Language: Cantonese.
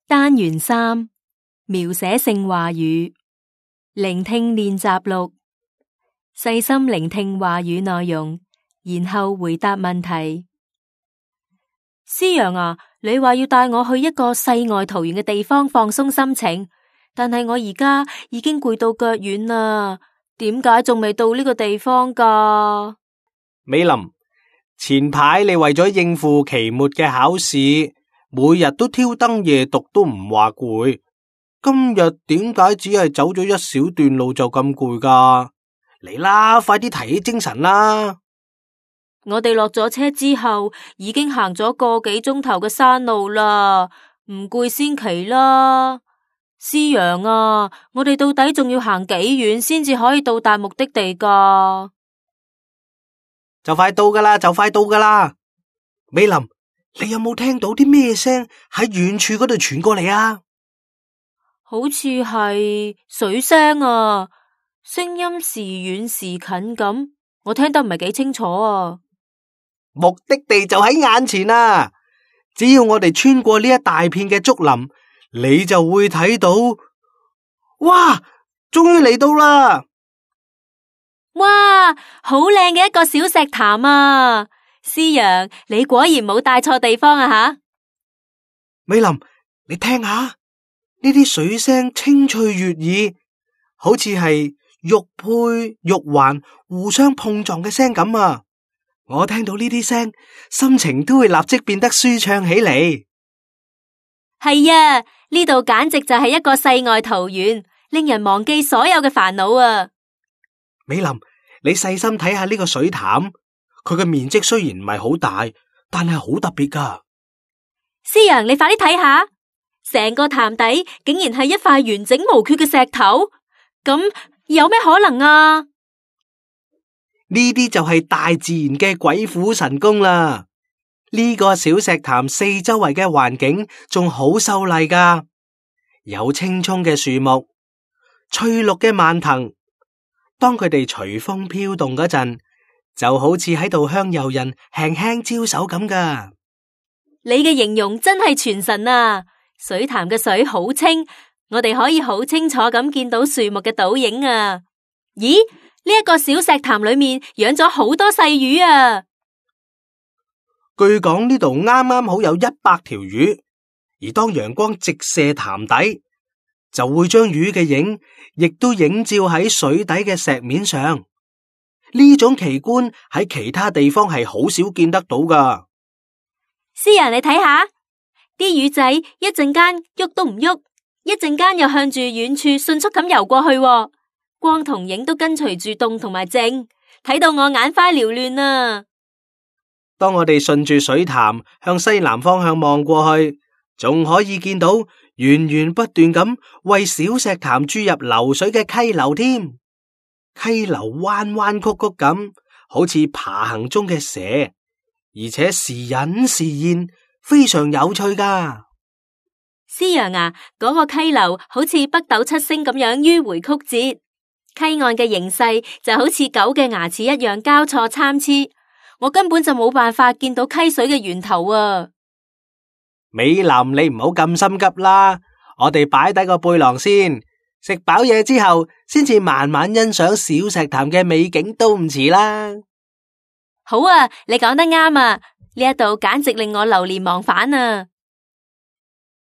單元3，描寫性話語，聆聽練習錄，細心聆聽話語內容，然後回答問題。思陽啊，你話要帶我去一個世外桃源嘅地方放鬆心情，但係我而家已經攰到腳軟啦，點解仲未到呢個地方㗎？美林，前排你為咗應付期末嘅考試，每日都挑燈夜讀都唔話攰，今日點解只係走咗一小段路就咁攰㗎？嚟啦，快啲提起精神啦！我哋落咗車之後，已經行咗個幾鐘頭嘅山路啦，唔攰先奇啦。思陽啊，我哋到底仲要行幾遠先至可以到達目的地㗎？就快到㗎啦，就快到㗎啦！美林，你有冇聽到啲咩聲喺遠處嗰度傳過嚟啊？好似係水聲啊，聲音時遠時近咁，我聽得唔係幾清楚啊。目的地就喺眼前啊！只要我哋穿過呢一大片嘅竹林，你就會睇到，哇！終於嚟到啦！哇，好靚嘅一個小石潭啊！思陽，你果然冇帶錯地方啊吓！美林，你聽下，呢啲水聲清脆悅耳，好似係玉佩玉環互相碰撞嘅聲咁啊！我聽到呢啲聲，心情都會立即變得舒暢起嚟。係啊，呢度簡直就係一個世外桃源，令人忘記所有嘅煩惱啊！美林，你細心睇下呢個水潭，佢嘅面積雖然唔係好大，但係好特別㗎。思陽，你快啲睇下，成個潭底竟然係一塊完整無缺嘅石頭，咁有咩可能啊？呢啲就係大自然嘅鬼斧神工啦！呢個小石潭四周圍嘅環境仲好秀麗㗎，有青蔥嘅樹木、翠綠嘅蔓藤，當佢哋隨風飄動嗰陣，就好似喺度向遊人輕輕招手咁㗎。你嘅形容真係傳神啊！水潭嘅水好清，我哋可以好清楚咁見到樹木嘅倒影啊！咦？呢一個小石潭裏面養咗好多細魚啊！據講呢度啱啱好有100條魚，而當陽光直射潭底，就會將魚嘅影亦都映照喺水底嘅石面上。呢種奇觀喺其他地方係好少見得到噶。思陽，你睇下，啲魚仔一陣間喐都唔喐，一陣間又向住遠處迅速咁游過去喎。光同影都跟隨住動同埋靜，睇到我眼花繚亂啊！當我哋順住水潭向西南方向望過去，仲可以見到源源不斷咁為小石潭注入流水嘅溪流添。溪流彎彎曲曲咁，好似爬行中嘅蛇，而且時隱時現，非常有趣噶。思陽啊，嗰個溪流好似北斗七星咁樣迂回曲折。溪岸嘅形勢就好似狗嘅牙齒一樣交錯參差，我根本就冇辦法見到溪水嘅源頭啊！美林，你唔好咁心急啦，我哋擺低個背囊先，食飽嘢之後，先至慢慢欣賞小石潭嘅美景都唔遲啦。好啊，你講得啱啊！呢一度簡直令我流連忘返啊！